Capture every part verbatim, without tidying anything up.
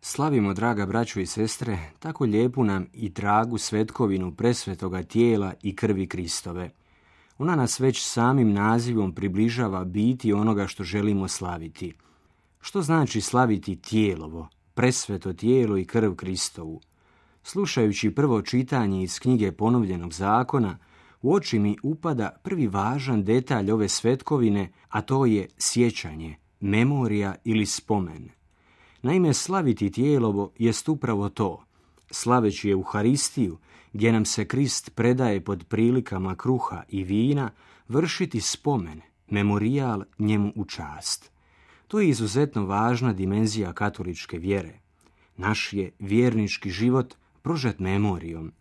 Slavimo, draga braćo i sestre, tako lijepu nam i dragu svetkovinu presvetoga tijela i krvi Kristove. Ona nas već samim nazivom približava biti onoga što želimo slaviti. Što znači slaviti tijelovo, presveto tijelo i krv Kristovu? Slušajući prvo čitanje iz knjige Ponovljenog zakona, u oči mi upada prvi važan detalj ove svetkovine, a to je sjećanje, memorija ili spomen. Naime, slaviti tijelovo jest upravo to, slaveći Euharistiju, gdje nam se Krist predaje pod prilikama kruha i vina, vršiti spomen, memorijal njemu u čast. To je izuzetno važna dimenzija katoličke vjere. Naš je vjernički život prožet memorijom.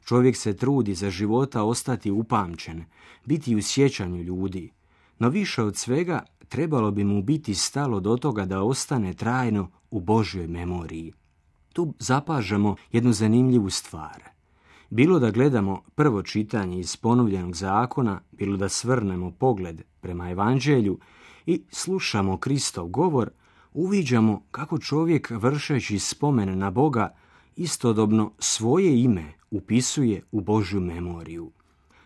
Čovjek se trudi za života ostati upamćen, biti u sjećanju ljudi, no više od svega trebalo bi mu biti stalo do toga da ostane trajno u Božjoj memoriji. Tu zapažamo jednu zanimljivu stvar. Bilo da gledamo prvo čitanje iz Ponovljenog zakona, bilo da svrnemo pogled prema Evanđelju i slušamo Kristov govor, uviđamo kako čovjek vršeći spomen na Boga istodobno svoje ime upisuje u Božju memoriju.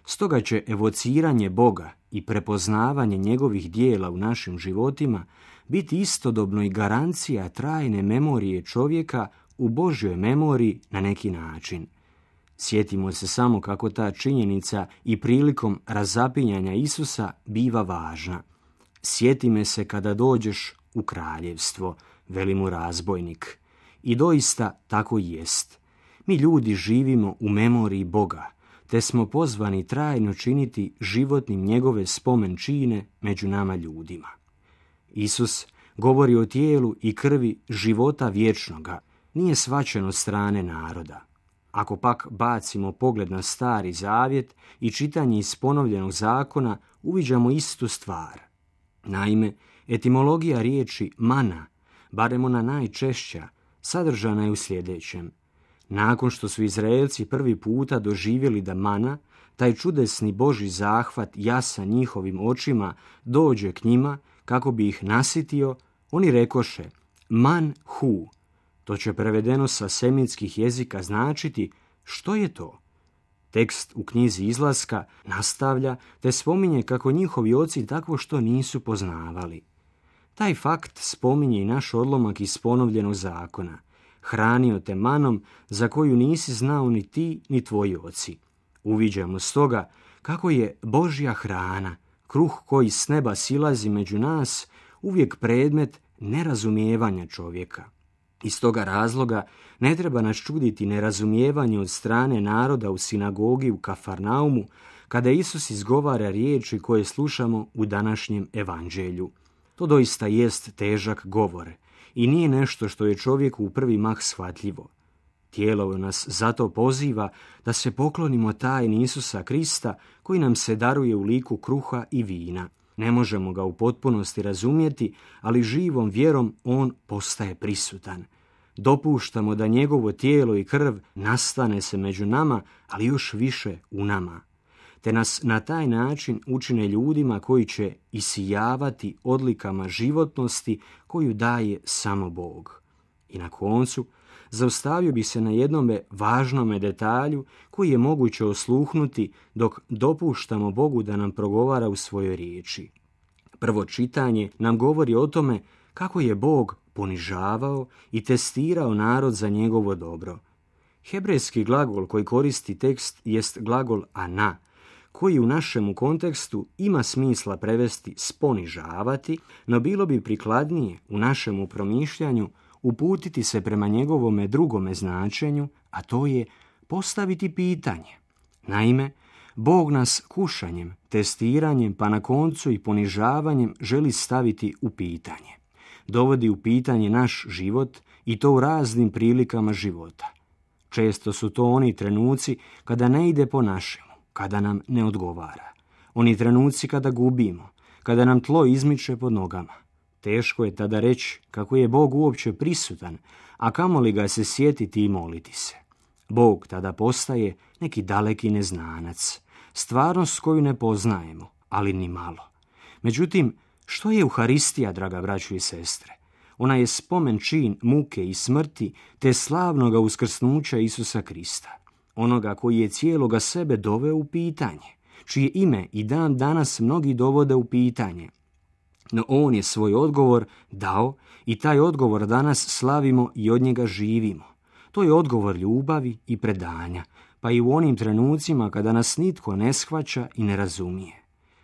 Stoga će evociranje Boga i prepoznavanje njegovih dijela u našim životima biti istodobno i garancija trajne memorije čovjeka u Božjoj memoriji na neki način. Sjetimo se samo kako ta činjenica i prilikom razapinjanja Isusa biva važna. Sjeti me se kada dođeš u kraljevstvo, veli mu razbojnik. I doista tako i jest. Mi ljudi živimo u memoriji Boga, te smo pozvani trajno činiti životnim njegove spomen čine među nama ljudima. Isus govori o tijelu i krvi života vječnoga, nije shvaćen od strane naroda. Ako pak bacimo pogled na Stari zavjet i čitanje iz Ponovljenog zakona, uviđamo istu stvar. Naime, etimologija riječi mana, barem ona najčešća, sadržana je u sljedećem. Nakon što su Izraelci prvi puta doživjeli da mana, taj čudesni Božji zahvat jasan njihovim očima, dođe k njima kako bi ih nasitio, oni rekoše man hu. To će prevedeno sa semitskih jezika značiti što je to. Tekst u knjizi Izlaska nastavlja te spominje kako njihovi oci takvo što nisu poznavali. Taj fakt spominje i naš odlomak iz Ponovljenog zakona. Hranio te manom za koju nisi znao ni ti ni tvoji oci. Uviđamo stoga kako je Božja hrana, kruh koji s neba silazi među nas, uvijek predmet nerazumijevanja čovjeka. Iz toga razloga ne treba nas čuditi nerazumijevanje od strane naroda u sinagogi u Kafarnaumu, kada Isus izgovara riječi koje slušamo u današnjem evanđelju. To doista jest težak govor i nije nešto što je čovjeku u prvi mah shvatljivo. Tijelo nas zato poziva da se poklonimo tajni Isusa Krista koji nam se daruje u liku kruha i vina. Ne možemo ga u potpunosti razumjeti, ali živom vjerom on postaje prisutan. Dopuštamo da njegovo tijelo i krv nastane se među nama, ali još više u nama. Te nas na taj način učine ljudima koji će isijavati odlikama životnosti koju daje samo Bog. I na koncu, zaustavio bi se na jednome važnome detalju koji je moguće osluhnuti dok dopuštamo Bogu da nam progovara u svojoj riječi. Prvo čitanje nam govori o tome kako je Bog ponižavao i testirao narod za njegovo dobro. Hebrejski glagol koji koristi tekst jest glagol ana, koji u našemu kontekstu ima smisla prevesti sponižavati, no bilo bi prikladnije u našemu promišljanju uputiti se prema njegovome drugome značenju, a to je postaviti pitanje. Naime, Bog nas kušanjem, testiranjem, pa na koncu i ponižavanjem želi staviti u pitanje. Dovodi u pitanje naš život i to u raznim prilikama života. Često su to oni trenuci kada ne ide po našemu, kada nam ne odgovara. Oni trenuci kada gubimo, kada nam tlo izmiče pod nogama. Teško je tada reći kako je Bog uopće prisutan, a kamoli ga se sjetiti i moliti se. Bog tada postaje neki daleki neznanac, stvarnost koju ne poznajemo, ali ni malo. Međutim, što je Euharistija, draga braćo i sestre? Ona je spomen čin muke i smrti te slavnoga uskrsnuća Isusa Krista, onoga koji je cijeloga sebe doveo u pitanje, čije ime i dan danas mnogi dovode u pitanje. No on je svoj odgovor dao i taj odgovor danas slavimo i od njega živimo. To je odgovor ljubavi i predanja, pa i u onim trenucima kada nas nitko ne shvaća i ne razumije.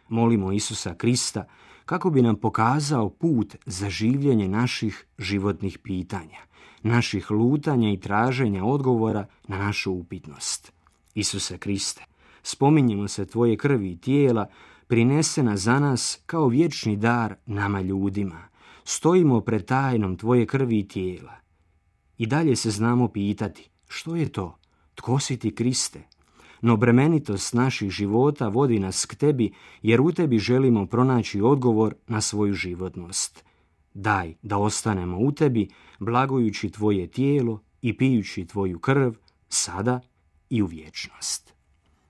Molimo Isusa Krista kako bi nam pokazao put za življenje naših životnih pitanja, naših lutanja i traženja odgovora na našu upitnost. Isuse Kriste, spominjemo se tvoje krvi i tijela, prinesena za nas kao vječni dar nama ljudima. Stojimo pred tajnom tvoje krvi i tijela. I dalje se znamo pitati, što je to? Tko si ti, Kriste? No bremenitost naših života vodi nas k tebi, jer u tebi želimo pronaći odgovor na svoju životnost. Daj da ostanemo u tebi, blagujući tvoje tijelo i pijući tvoju krv, sada i u vječnost.